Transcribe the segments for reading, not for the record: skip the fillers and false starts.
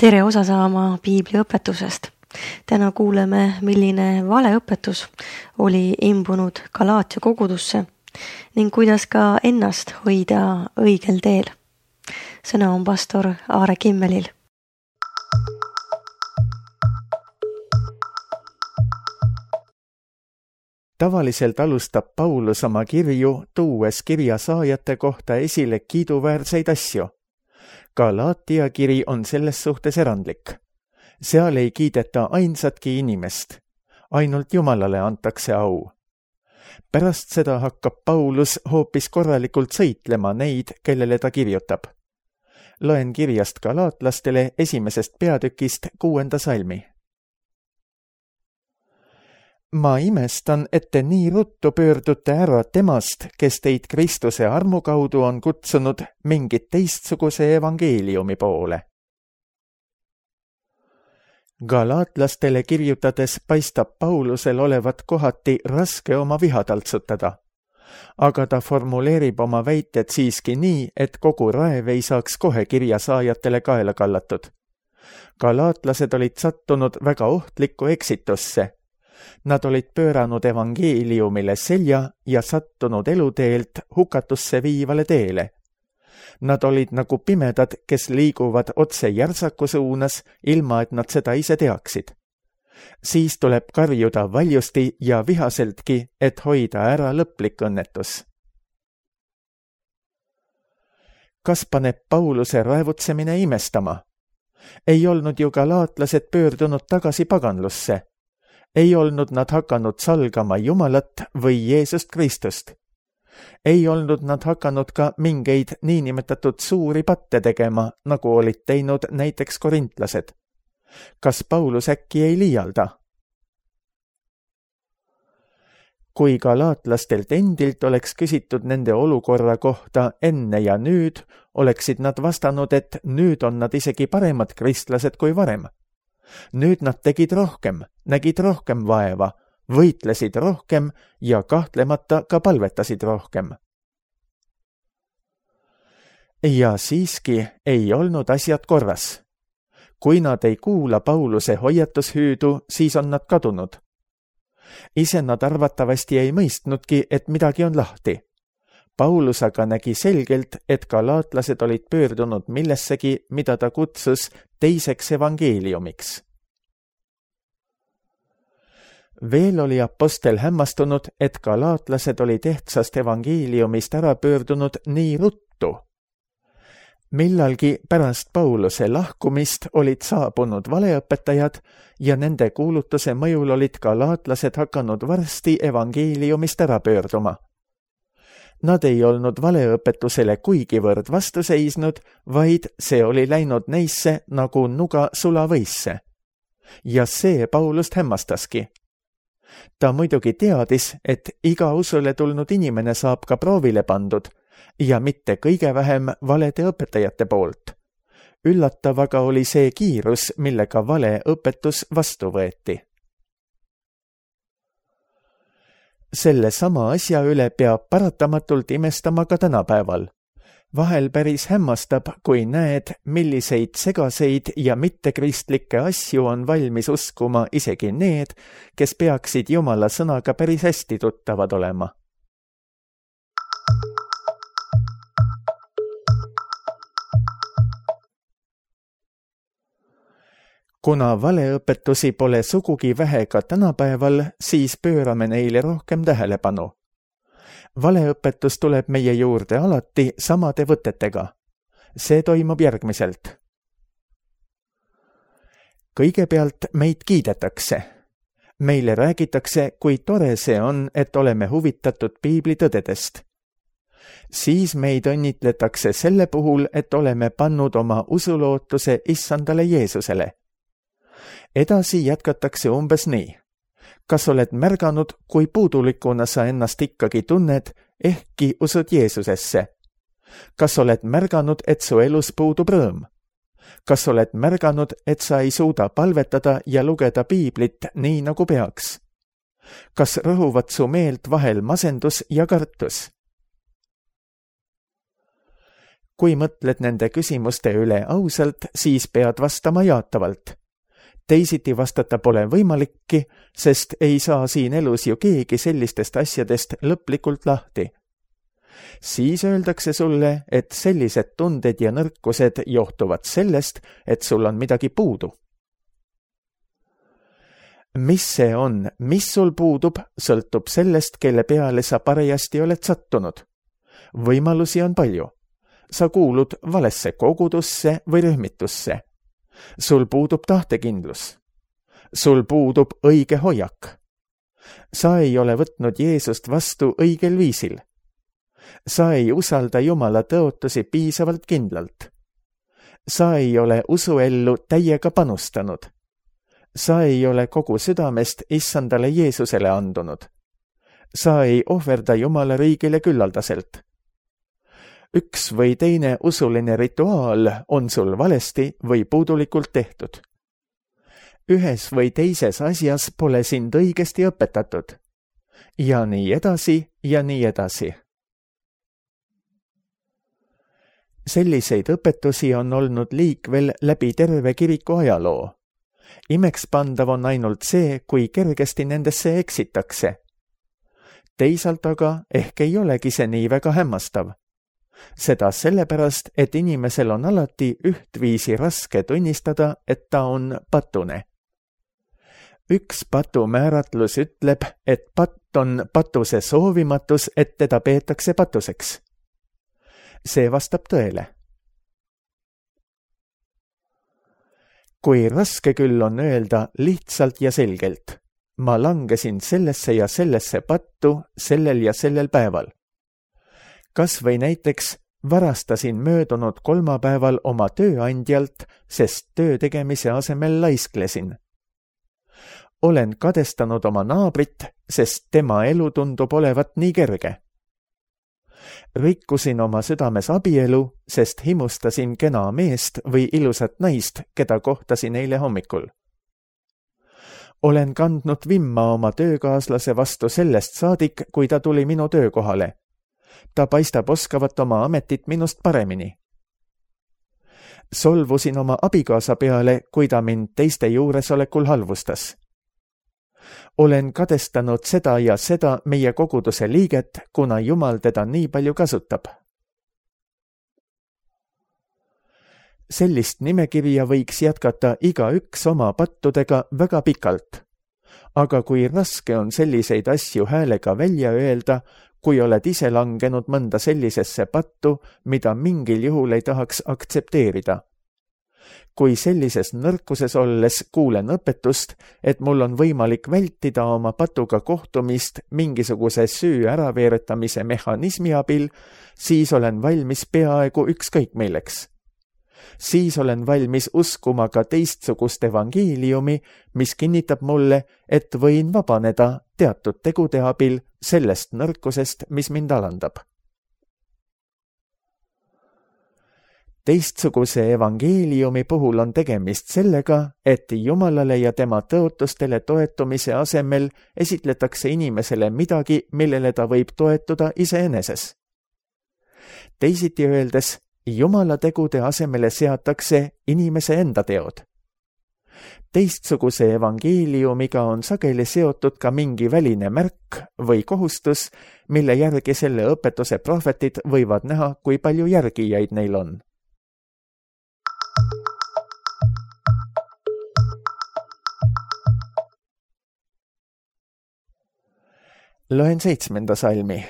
Tere osa saama piibliõpetusest. Täna kuuleme, milline valeõpetus oli imbunud Galaatia kogudusse ning kuidas ka ennast hoida õigel teel. Sõna on pastor Aare Kimmelil. Tavaliselt alustab Paulus oma kirju, tuues kirja saajate kohta esile kiiduväärseid asju. Galaatia kiri on selles suhtes erandlik. Seal ei kiideta ainsatki inimest. Ainult Jumalale antakse au. Pärast seda hakkab Paulus hoopis korralikult sõitlema neid, kellele ta kirjutab. Loen kirjast galaatlastele 1. peatükist 6. salmi. Ma imestan, et te nii ruttu pöördute ära temast, kes teid Kristuse armu kaudu on kutsunud mingit teistsuguse evangeeliumi poole. Galaatlastele kirjutades paistab Paulusel olevat kohati raske oma viha taltsutada, aga ta formuleerib oma väited siiski nii, et kogu raev ei saaks kohe kirjasaajatele kaela kallatud. Galaatlased olid sattunud väga ohtlikku eksitusse. Nad olid pööranud evangeeliumile selja ja sattunud eluteelt hukatusse viivale teele. Nad olid nagu pimedad, kes liiguvad otse järsaku suunas, ilma et nad seda ise teaksid. Siis tuleb karjuda valjusti ja vihaseltki, et hoida ära lõplik õnnetus. Kas paneb Pauluse raevutsemine imestama? Ei olnud ju galaatlased pöördunud tagasi paganlusse. Ei olnud nad hakanud salgama Jumalat või Jeesust Kristust. Ei olnud nad hakanud ka mingeid niinimetatud suuri patte tegema, nagu olid teinud näiteks korintlased. Kas Paulus äkki ei liialda? Kui galaatlastelt endilt oleks küsitud nende olukorra kohta enne ja nüüd, oleksid nad vastanud, et nüüd on nad isegi paremad kristlased kui varem. Nüüd nad tegid rohkem, nägid rohkem vaeva, võitlesid rohkem ja kahtlemata ka palvetasid rohkem. Ja siiski ei olnud asjad korras. Kui nad ei kuula Pauluse hoiatushüüdu, siis on nad kadunud. Ise nad arvatavasti ei mõistnudki, et midagi on lahti. Paulus aga nägi selgelt, et galaatlased olid pöördunud millessegi, mida ta kutsus teiseks evangeeliumiks. Veel oli apostel hämmastunud, et galaatlased olid ehtsast evangeeliumist ära pöördunud nii ruttu. Millalgi pärast Pauluse lahkumist olid saabunud valeõpetajad ja nende kuulutuse mõjul olid galaatlased hakanud varsti evangeeliumist ära pöörduma. Nad ei olnud valeõpetusele kuigivõrd vastu seisnud, vaid see oli läinud neisse nagu nuga sulavõisse. Ja see Paulust hämmastaski. Ta muidugi teadis, et iga usule tulnud inimene saab ka proovile pandud ja mitte kõige vähem valede õpetajate poolt. Üllatav aga oli see kiirus, millega vale õpetus vastu võeti. Selle sama asja üle peab paratamatult imestama ka tänapäeval. Vahel päris hämmastab, kui näed, milliseid segaseid ja mittekristlikke asju on valmis uskuma isegi need, kes peaksid Jumala sõnaga päris hästi tuttavad olema. Kuna valeõpetusi pole sugugi vähe ka tänapäeval, siis pöörame neile rohkem tähelepanu. Valeõpetus tuleb meie juurde alati samade võtetega. See toimub järgmiselt. Kõigepealt meid kiidetakse. Meile räägitakse, kui tore see on, et oleme huvitatud piiblitõdedest. Siis meid õnnitletakse selle puhul, et oleme pannud oma usulootuse issandale Jeesusele. Edasi jätkatakse umbes nii. Kas oled märganud, kui puudulikuna sa ennast ikkagi tunned, ehkki usud Jeesusesse? Kas oled märganud, et su elus puudub rõõm? Kas oled märganud, et sa ei suuda palvetada ja lugeda piiblit nii nagu peaks? Kas rõhuvad su meelt vahel masendus ja kartus? kui mõtled nende küsimuste üle ausalt, siis pead vastama jaatavalt. Teisiti vastata pole võimalikki, sest ei saa siin elus ju keegi sellistest asjadest lõplikult lahti. Siis öeldakse sulle, et sellised tunded ja nõrkused johtuvad sellest, et sul on midagi puudu. Mis see on, mis sul puudub, sõltub sellest, kelle peale sa parajasti oled sattunud. Võimalusi on palju. Sa kuulud valesse kogudusse või rühmitusse. Sul puudub tahtekindlus. Sul puudub õige hoiak. Sa ei ole võtnud Jeesust vastu õigel viisil. Sa ei usalda Jumala tõotusi piisavalt kindlalt. Sa ei ole usuellu täiega panustanud. Sa ei ole kogu südamest issandale Jeesusele andunud. Sa ei ohverda Jumala riigile küllaldaselt. Üks või teine usuline rituaal on sul valesti või puudulikult tehtud. Ühes või teises asjas pole sind õigesti õpetatud. Ja nii edasi ja nii edasi. Selliseid õpetusi on olnud liikvel läbi terve kiriku ajaloo. Imekspandav on ainult see, kui kergesti nendesse eksitakse. Teisalt aga ehk ei olegi see nii väga hämmastav. Seda sellepärast, et inimesel on alati ühtviisi raske tunnistada, et ta on patune. Üks patu määratlus ütleb, et patt on patuse soovimatus, et teda peetakse patuseks. See vastab tõele. Kui raske küll on öelda lihtsalt ja selgelt, ma langesin sellesse ja sellesse pattu sellel ja sellel päeval. Kas või näiteks varastasin möödunud kolmapäeval oma tööandjalt, sest töö tegemise asemel laisklesin. Olen kadestanud oma naabrit, sest tema elu tundub olevat nii kerge. Rikkusin oma südames abielu, sest himustasin kena meest või ilusat naist, keda kohtasin eile hommikul. Olen kandnud vimma oma töökaaslase vastu sellest saadik, kui ta tuli minu töökohale. Ta paistab oskavat oma ametit minust paremini. Solvusin oma abikaasa peale, kui ta mind teiste juuresolekul halvustas. Olen kadestanud seda ja seda meie koguduse liiget, kuna Jumal teda nii palju kasutab. Sellist nimekirja võiks jätkata igaüks oma pattudega väga pikalt. Aga kui raske on selliseid asju häälega välja öelda, kui oled ise langenud mõnda sellisesse pattu, mida mingil juhul ei tahaks aktsepteerida. Kui sellises nõrkuses olles kuulen õpetust, et mul on võimalik vältida oma patuga kohtumist mingisuguse süü äraveeretamise mehhanismi abil, siis olen valmis peaaegu ükskõik milleks. Siis olen valmis uskuma ka teistsugust evangeeliumi, mis kinnitab mulle, et võin vabaneda teatud tegude abil sellest nõrkusest, mis mind alandab. Teistsuguse evangeeliumi puhul on tegemist sellega, et Jumalale ja tema tõotustele toetumise asemel esitletakse inimesele midagi, millele ta võib toetuda iseeneses. Teisiti öeldes, Jumala tegude asemele seatakse inimese enda teod. Teistsuguse evangeeliumiga on sageli seotud ka mingi väline märk või kohustus, mille järgi selle õpetuse prohvetid võivad näha, kui palju järgijaid neil on. Loen 7. salmi.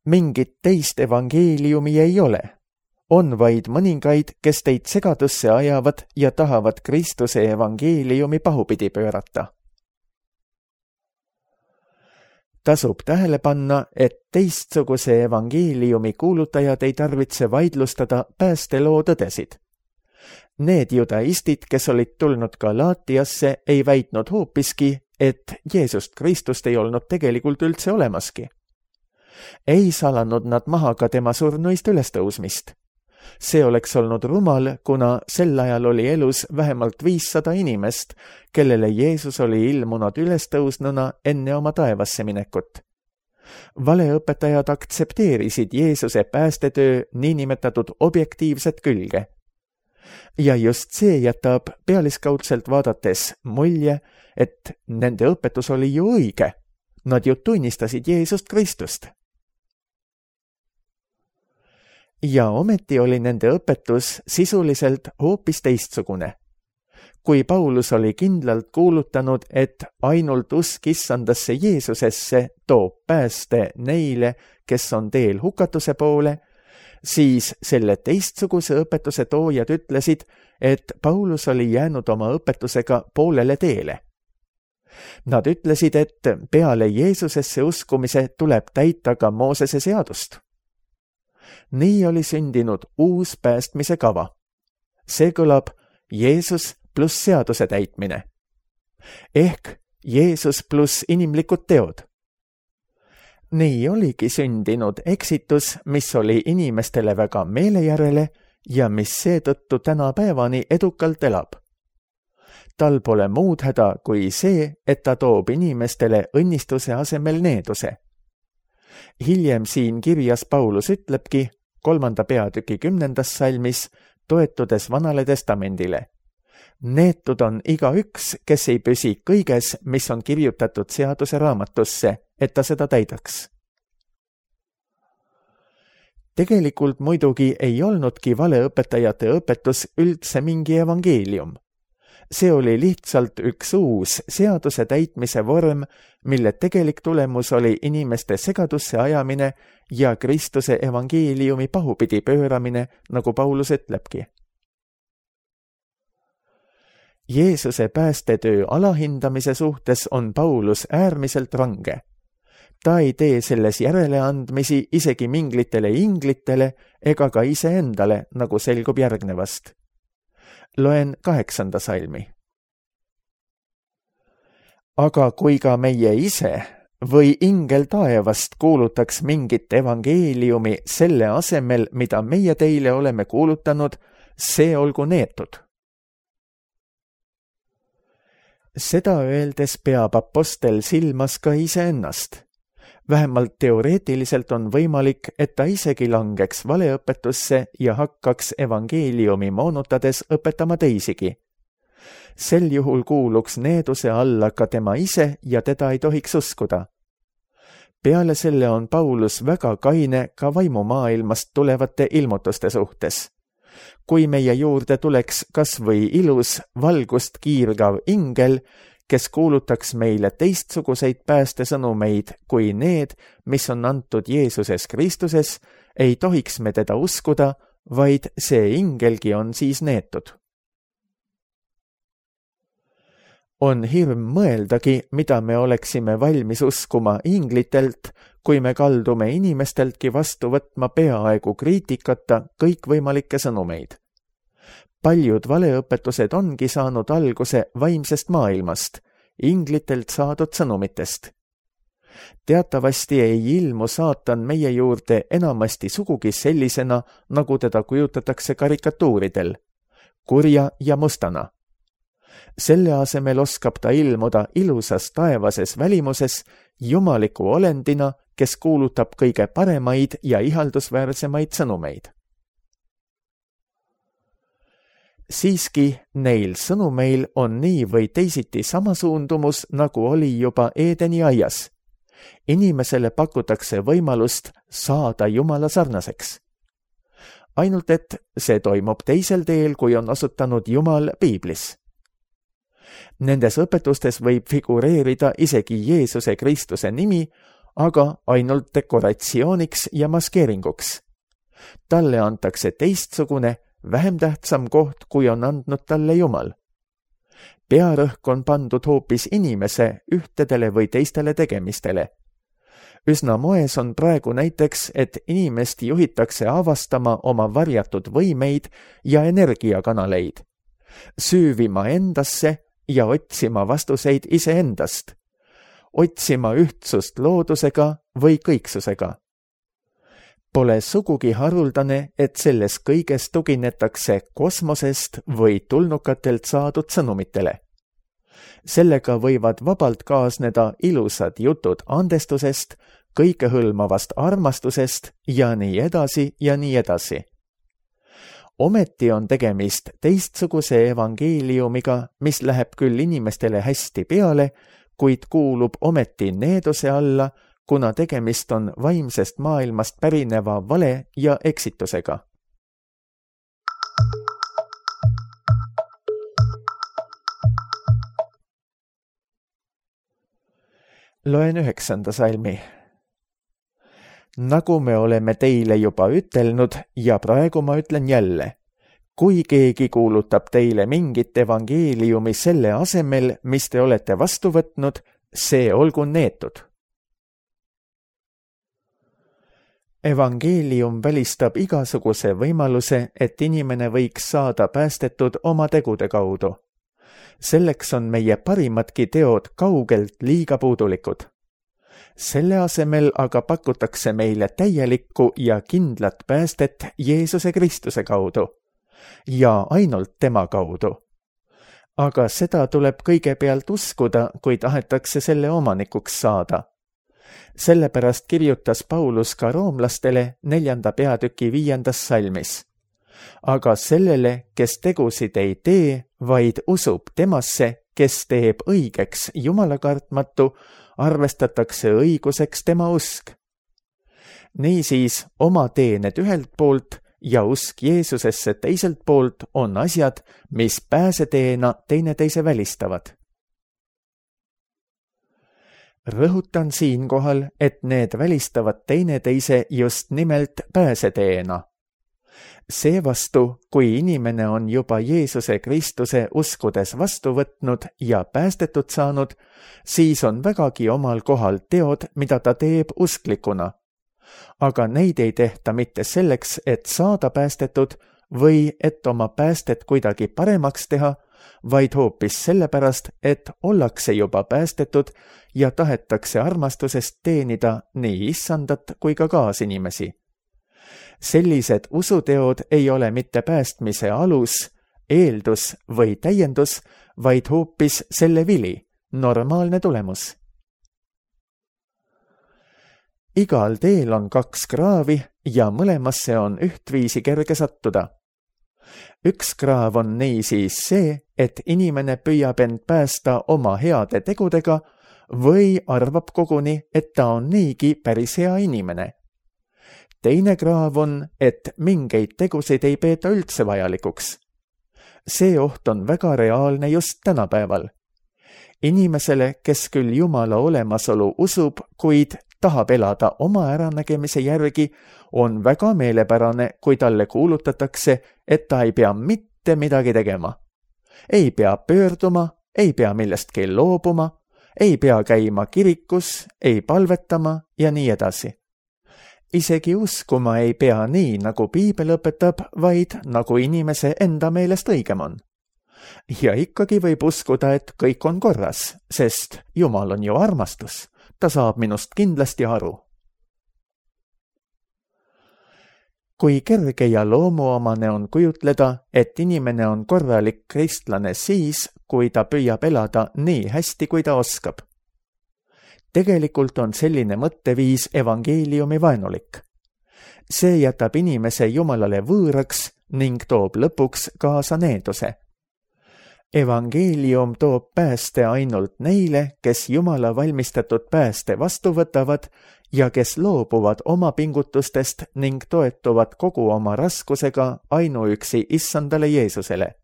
Mingit teist evangeeliumi ei ole. On vaid mõningaid, kes teid segadusse ajavad ja tahavad Kristuse evangeeliumi pahupidi pöörata. Tasub tähele panna, et teistsuguse evangeeliumi kuulutajad ei tarvitse vaidlustada päästeloo tõdesid. Need judaistid, kes olid tulnud Galaatiasse, ei väitnud hoopiski, et Jeesust Kristust ei olnud tegelikult üldse olemaski. Ei salanud nad maha ka tema surnuist ülestõusmist. See oleks olnud rumal, kuna sel ajal oli elus vähemalt 500 inimest, kellele Jeesus oli ilmunud ülestõusnuna enne oma taevasse minekut. Valeõpetajad aktsepteerisid Jeesuse päästetöö niinimetatud objektiivset külge. Ja just see jätab pealiskaudselt vaadates mulje, et nende õpetus oli ju õige. Nad ju tunnistasid Jeesust Kristust. Ja ometi oli nende õpetus sisuliselt hoopis teistsugune. Kui Paulus oli kindlalt kuulutanud, et ainult usk Issandasse Jeesusesse toob pääste neile, kes on teel hukatuse poole, siis selle teistsuguse õpetuse toojad ütlesid, et Paulus oli jäänud oma õpetusega poolele teele. Nad ütlesid, et peale Jeesusesse uskumise tuleb täita ka Moosese seadust. Nii oli sündinud uus päästmise kava. See kõlab Jeesus pluss seaduse täitmine. Ehk Jeesus pluss inimlikud teod. Nii oligi sündinud eksitus, mis oli inimestele väga meelejärele ja mis seetõttu tänapäevani edukalt elab. Tal pole muud häda kui see, et ta toob inimestele õnnistuse asemel needuse. Hiljem siin kirjas Paulus ütlebki 3. peatüki 10. salmis, toetudes Vanale Testamendile. Neetud on igaüks, kes ei püsi kõiges, mis on kirjutatud seaduse raamatusse, et ta seda täidaks. Tegelikult muidugi ei olnudki valeõpetajate õpetus üldse mingi evangeelium. See oli lihtsalt üks uus seaduse täitmise vorm, mille tegelik tulemus oli inimeste segadusse ajamine ja Kristuse evangeeliumi pahupidi pööramine, nagu Paulus ütlebki. Jeesuse päästetöö alahindamise suhtes on Paulus äärmiselt range. Ta ei tee selles järeleandmisi isegi minglitele inglitele ega ka iseendale, nagu selgub järgnevast. Loen 8. salmi. Aga kui ka meie ise või ingel taevast kuulutaks mingit evangeeliumi selle asemel, mida meie teile oleme kuulutanud, see olgu neetud. Seda öeldes peab apostel silmas ka iseennast. Vähemalt teoreetiliselt on võimalik, et ta isegi langeks valeõpetusse ja hakkaks evangeeliumi moonutades õpetama teisigi. Sel juhul kuuluks needuse alla ka tema ise ja teda ei tohiks uskuda. Peale selle on Paulus väga kaine ka vaimumaailmast tulevate ilmutuste suhtes. Kui meie juurde tuleks kas või ilus valgust kiirgav ingel, kes kuulutaks meile teistsuguseid päästesõnumeid kui need, mis on antud Jeesuses Kristuses, ei tohiks me teda uskuda, vaid see ingelgi on siis neetud. On hirm mõeldagi, mida me oleksime valmis uskuma inglitelt, kui me kaldume inimesteltki vastu võtma peaaegu kriitikata kõikvõimalikke sõnumeid. Paljud valeõpetused ongi saanud alguse vaimsest maailmast, inglitelt saadud sõnumitest. Teatavasti ei ilmu saatan meie juurde enamasti sugugi sellisena, nagu teda kujutatakse karikatuuridel, kurja ja mustana. Selle asemel oskab ta ilmuda ilusas taevases välimuses jumaliku olendina, kes kuulutab kõige paremaid ja ihaldusväärsemaid sõnumeid. Siiski neil sõnumeil on nii või teisiti sama suundumus, nagu oli juba Eedeni aias. Inimesele pakutakse võimalust saada Jumala sarnaseks. Ainult et see toimub teisel teel, kui on asutanud Jumal Piiblis. Nendes õpetustes võib figureerida isegi Jeesuse Kristuse nimi, aga ainult dekoratsiooniks ja maskeeringuks. Talle antakse teistsugune, vähem tähtsam koht, kui on andnud talle Jumal. Pearõhk on pandud hoopis inimese ühtedele või teistele tegemistele. Üsna moes on praegu näiteks, et inimest juhitakse avastama oma varjatud võimeid ja energiakanaleid, süüvima endasse ja otsima vastuseid iseendast, otsima ühtsust loodusega või kõiksusega. Pole sugugi haruldane, et selles kõiges tuginetakse kosmosest või tulnukatelt saadud sõnumitele. Sellega võivad vabalt kaasneda ilusad jutud andestusest, kõikehõlmavast armastusest ja nii edasi ja nii edasi. Ometi on tegemist teistsuguse evangeeliumiga, mis läheb küll inimestele hästi peale, kuid kuulub ometi needuse alla, kuna tegemist on vaimsest maailmast pärineva vale ja eksitusega. Loen 9. salmi. Nagu me oleme teile juba ütelnud ja praegu ma ütlen jälle, kui keegi kuulutab teile mingit evangeeliumi selle asemel, mis te olete vastu võtnud, see olgu neetud. Evangeelium välistab igasuguse võimaluse, et inimene võiks saada päästetud oma tegude kaudu. Selleks on meie parimadki teod kaugelt liiga puudulikud. Selle asemel aga pakutakse meile täielikku ja kindlat päästet Jeesuse Kristuse kaudu ja ainult tema kaudu. Aga seda tuleb kõigepealt uskuda, kui tahetakse selle omanikuks saada. Sellepärast kirjutas Paulus ka roomlastele 4. peatüki 5. salmis. Aga sellele, kes tegusid ei tee, vaid usub temasse, kes teeb õigeks Jumala kartmatu, arvestatakse õiguseks tema usk. Niisiis, oma teened ühelt poolt ja usk Jeesusesse teiselt poolt on asjad, mis pääseteena teineteise välistavad. Rõhutan siinkohal, et need välistavad teineteise just nimelt pääseteena. Seevastu, kui inimene on juba Jeesuse Kristuse uskudes vastu võtnud ja päästetud saanud, siis on vägagi omal kohal teod, mida ta teeb usklikuna. Aga neid ei tehta mitte selleks, et saada päästetud või et oma päästet kuidagi paremaks teha, vaid hoopis sellepärast, et ollakse juba päästetud ja tahetakse armastusest teenida nii issandat kui ka kaasinimesi. Sellised usuteod ei ole mitte päästmise alus, eeldus või täiendus, vaid hoopis selle vili, normaalne tulemus. Igal teel on 2 kraavi ja mõlemasse on ühtviisi kerge sattuda. Üks kraav on niisiis see, et inimene püüab end päästa oma heade tegudega või arvab koguni, et ta on niigi päris hea inimene. Teine kraav on, et mingeid tegusid ei peeta üldse vajalikuks. See oht on väga reaalne just tänapäeval. Inimesele, kes küll Jumala olemasolu usub, kuid tahab elada oma äranägemise järgi, on väga meelepärane, kui talle kuulutatakse, et ta ei pea mitte midagi tegema. Ei pea pöörduma, ei pea millestki loobuma, ei pea käima kirikus, ei palvetama ja nii edasi. Isegi uskuma ei pea nii, nagu piibel õpetab, vaid nagu inimese enda meelest õigem on. Ja ikkagi võib uskuda, et kõik on korras, sest Jumal on ju armastus. Ta saab minust kindlasti aru. Kui kerge ja loomuomane on kujutleda, et inimene on korralik kristlane siis, kui ta püüab elada nii hästi, kui ta oskab. Tegelikult on selline mõtteviis evangeeliumi vaenulik. See jätab inimese Jumalale võõraks ning toob lõpuks kaasa needuse. Evangeelium toob pääste ainult neile, kes Jumala valmistatud pääste vastu võtavad ja kes loobuvad oma pingutustest ning toetuvad kogu oma raskusega ainuüksi issandale Jeesusele.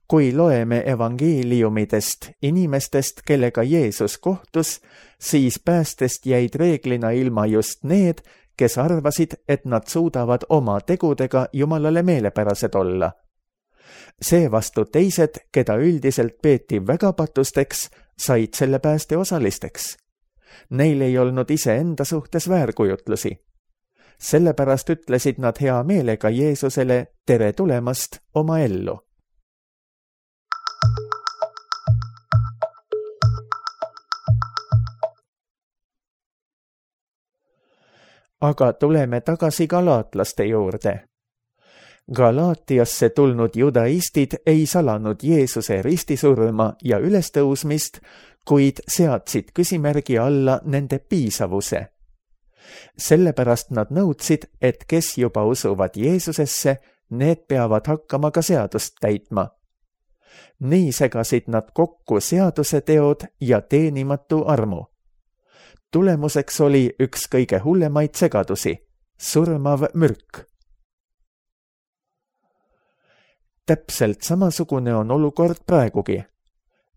Kui loeme evangeeliumidest inimestest, kellega Jeesus kohtus, siis päästest jäid reeglina ilma just need, kes arvasid, et nad suudavad oma tegudega Jumalale meelepärased olla. Seevastu teised, keda üldiselt peeti väga patusteks, said selle pääste osalisteks. Neil ei olnud iseenda suhtes väärkujutlusi. Sellepärast ütlesid nad hea meelega Jeesusele tere tulemast oma ellu. Aga tuleme tagasi galaatlaste juurde. Galaatiasse tulnud judaistid ei salanud Jeesuse ristisurma ja ülestõusmist, kuid seadsid küsimärgi alla nende piisavuse. Sellepärast nad nõudsid, et kes juba usuvad Jeesusesse, need peavad hakkama ka seadust täitma. Nii segasid nad kokku seaduse teod ja teenimatu armu. Tulemuseks oli üks kõige hullemaid segadusi, surmav mürk. Täpselt samasugune on olukord praegugi.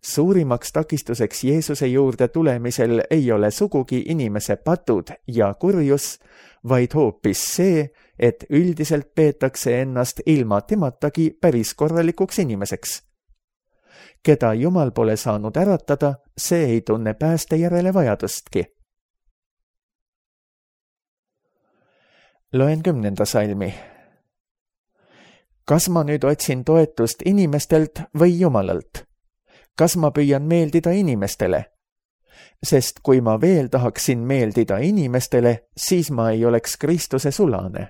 Suurimaks takistuseks Jeesuse juurde tulemisel ei ole sugugi inimese patud ja kurjus, vaid hoopis see, et üldiselt peetakse ennast ilma tematagi päris korralikuks inimeseks. Keda Jumal pole saanud äratada, see ei tunne pääste järele vajadustki. Loen 10. salmi. Kas ma nüüd otsin toetust inimestelt või Jumalalt? Kas ma püüan meeldida inimestele? Sest kui ma veel tahaksin meeldida inimestele, siis ma ei oleks Kristuse sulane.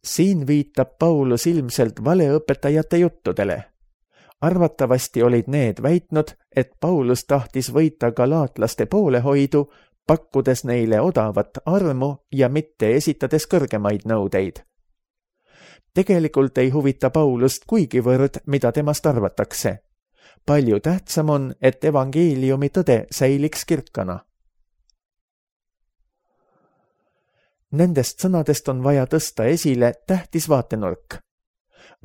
Siin viitab Paulus ilmselt valeõpetajate juttudele. Arvatavasti olid need väitnud, et Paulus tahtis võita galaatlaste poolehoidu, pakkudes neile odavat armu ja mitte esitades kõrgemaid nõudeid. Tegelikult ei huvita Paulust kuigivõrd, mida temast arvatakse. Palju tähtsam on, et evangeeliumi tõde säiliks kirkana. Nendest sõnadest on vaja tõsta esile tähtis vaatenurk.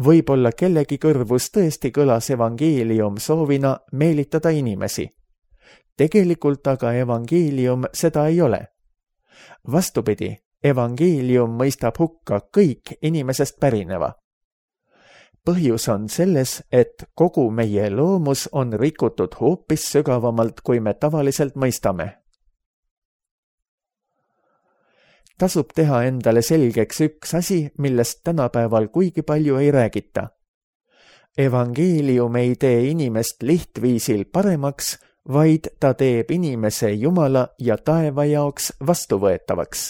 Võib-olla kellegi kõrvus tõesti kõlas evangeelium soovina meelitada inimesi. Tegelikult aga evangeelium seda ei ole. Vastupidi, evangeelium mõistab hukka kõik inimesest pärineva. Põhjus on selles, et kogu meie loomus on rikutud hoopis sügavamalt, kui me tavaliselt mõistame. Tasub teha endale selgeks üks asi, millest tänapäeval kuigi palju ei räägita. Evangeelium ei tee inimest lihtviisil paremaks, vaid ta teeb inimese Jumala ja taeva jaoks vastuvõetavaks.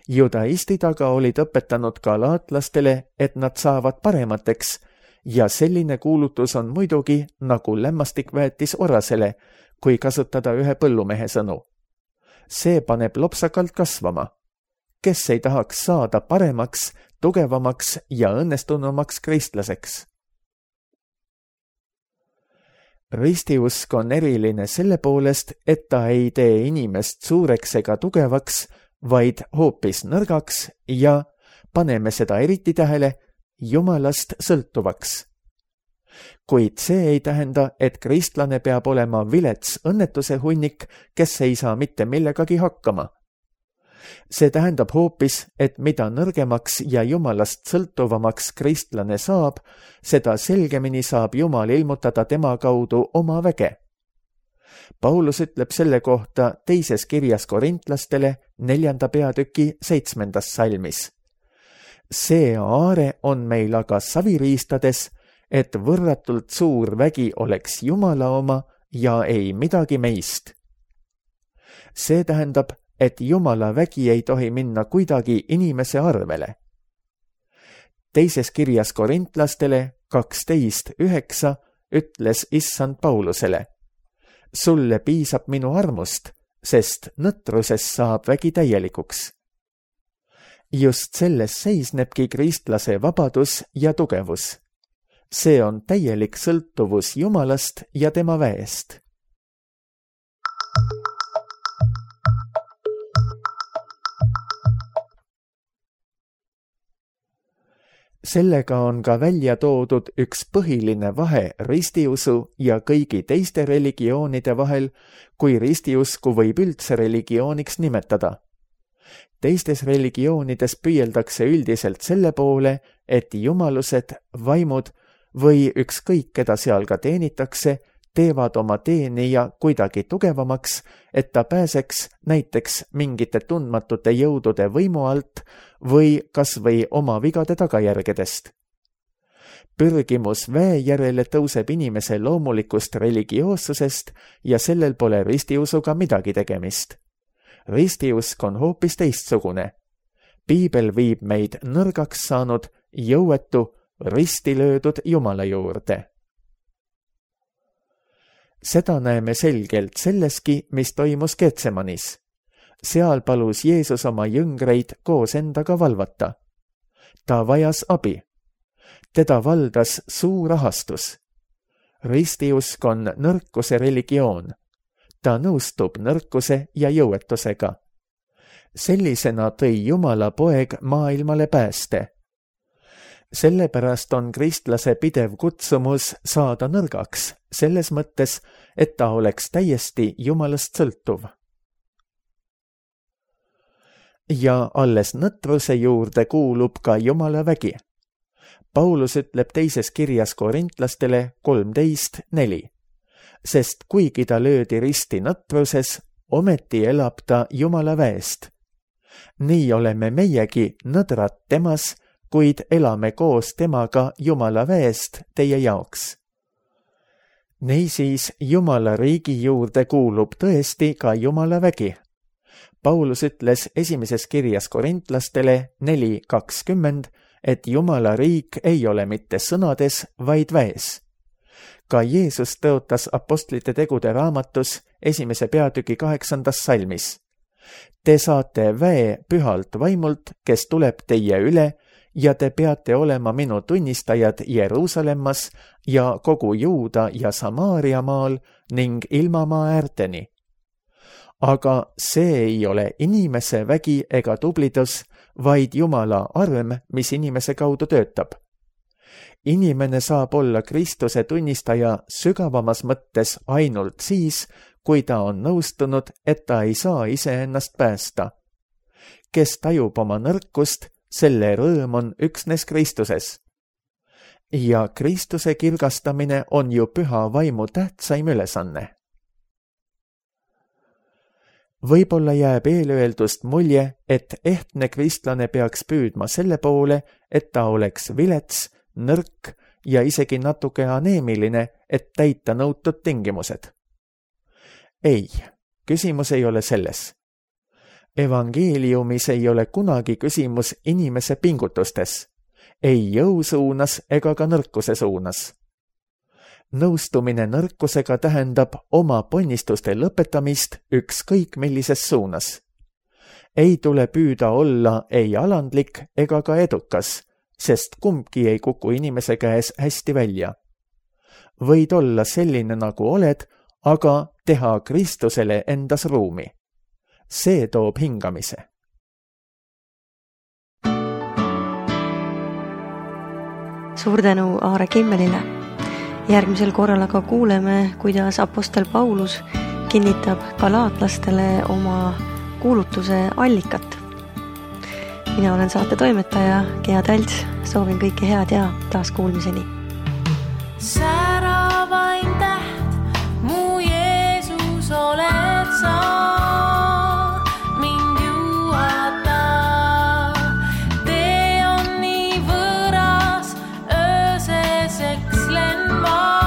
Judaistid aga olid õpetanud galaatlastele, et nad saavad paremateks ja selline kuulutus on muidugi nagu lämmastikväetis orasele, kui kasutada ühe põllumehe sõnu. See paneb lopsakalt kasvama. Kes ei tahaks saada paremaks, tugevamaks ja õnnestunumaks kristlaseks? Ristiusk on eriline selle poolest, et ta ei tee inimest suureks ega tugevaks, vaid hoopis nõrgaks ja, paneme seda eriti tähele, Jumalast sõltuvaks. Kuid see ei tähenda, et kristlane peab olema vilets õnnetuse hunnik, kes ei saa mitte millegagi hakkama. See tähendab hoopis, et mida nõrgemaks ja Jumalast sõltuvamaks kristlane saab, seda selgemini saab Jumal ilmutada tema kaudu oma väge. Paulus ütleb selle kohta teises kirjas korintlastele 4. peatüki 7. salmis. See aare on meil aga saviriistades, et võrratult suur vägi oleks Jumala oma ja ei midagi meist. See tähendab, et Jumala vägi ei tohi minna kuidagi inimese arvele. Teises kirjas korintlastele 12.9 ütles issand Paulusele: sulle piisab minu armust, sest nõtruses saab vägi täielikuks. Just selles seisnebki kristlase vabadus ja tugevus. See on täielik sõltuvus Jumalast ja tema väest. Sellega on ka välja toodud üks põhiline vahe ristiusu ja kõigi teiste religioonide vahel, kui ristiusku võib üldse religiooniks nimetada. Teistes religioonides püüeldakse üldiselt selle poole, et jumalused, vaimud või ükskõik keda seal ka teenitakse, teevad oma teenija kuidagi tugevamaks, et ta pääseks näiteks mingite tundmatute jõudude võimu alt või kas või oma vigade tagajärgedest. Pürgimus väe järele tõuseb inimese loomulikust religioossusest ja sellel pole ristiusuga midagi tegemist. Ristiusk on hoopis teistsugune. Piibel viib meid nõrgaks saanud, jõuetu, risti löödud Jumala juurde. Seda näeme selgelt selleski, mis toimus Getsemanis. Seal palus Jeesus oma jüngreid koos endaga valvata. Ta vajas abi. Teda valdas suur ahastus. Ristiusk on nõrkuse religioon. Ta nõustub nõrkuse ja jõuetusega. Sellisena tõi Jumala poeg maailmale pääste. Sellepärast on kristlase pidev kutsumus saada nõrgaks, selles mõttes, et ta oleks täiesti Jumalast sõltuv. Ja alles nõtruse juurde kuulub ka Jumala vägi. Paulus ütleb teises kirjas korintlastele 13:4. Sest kuigi ta löödi risti nõtruses, ometi elab ta Jumala väest. Nii oleme meiegi nõdrad temas, kuid elame koos temaga Jumala väest teie jaoks. Niisiis Jumala riigi juurde kuulub tõesti ka Jumala vägi. Paulus ütles esimeses kirjas korintlastele 4:20, et Jumala riik ei ole mitte sõnades, vaid väes. Ka Jeesus tõotas apostlite tegude raamatus 1. peatüki 8. salmis. Te saate väe pühalt vaimult, kes tuleb teie üle, ja te peate olema minu tunnistajad Jeruusalemmas ja kogu Juuda ja Samaaria maal ning ilmamaa äärteni. Aga see ei ole inimese vägi ega tublidus, vaid Jumala arm, mis inimese kaudu töötab. Inimene saab olla Kristuse tunnistaja sügavamas mõttes ainult siis, kui ta on nõustunud, et ta ei saa iseennast päästa. Kes tajub oma nõrkust, selle rõõm on üksnes Kristuses. Ja Kristuse kirgastamine on ju püha vaimu tähtsaim ülesanne. Võib-olla jääb eelöeldust mulje, et ehtne kristlane peaks püüdma selle poole, et ta oleks vilets, nõrk ja isegi natuke aneemiline, et täita nõutud tingimused. Ei, küsimus ei ole selles. Evangeeliumis ei ole kunagi küsimus inimese pingutustes, ei jõu suunas ega ka nõrkuse suunas. Nõustumine nõrkusega tähendab oma ponnistuste lõpetamist ükskõik millises suunas. Ei tule püüda olla ei alandlik ega ka edukas, sest kumbki ei kuku inimese käes hästi välja. Võid olla selline nagu oled, aga teha Kristusele endas ruumi. See toob hingamise. Suur tänu Aare Kimmelile. Järgmisel korral aga kuuleme, kuidas apostel Paulus kinnitab galaatlastele oma kuulutuse allikat. Mina olen saate toimetaja Gea Talts, soovin kõike head ja taas kuulmiseni. Säravaim täht, mu Jeesus oled sa, mind juhata. Tee on nii võõras, ööses ekslen ma.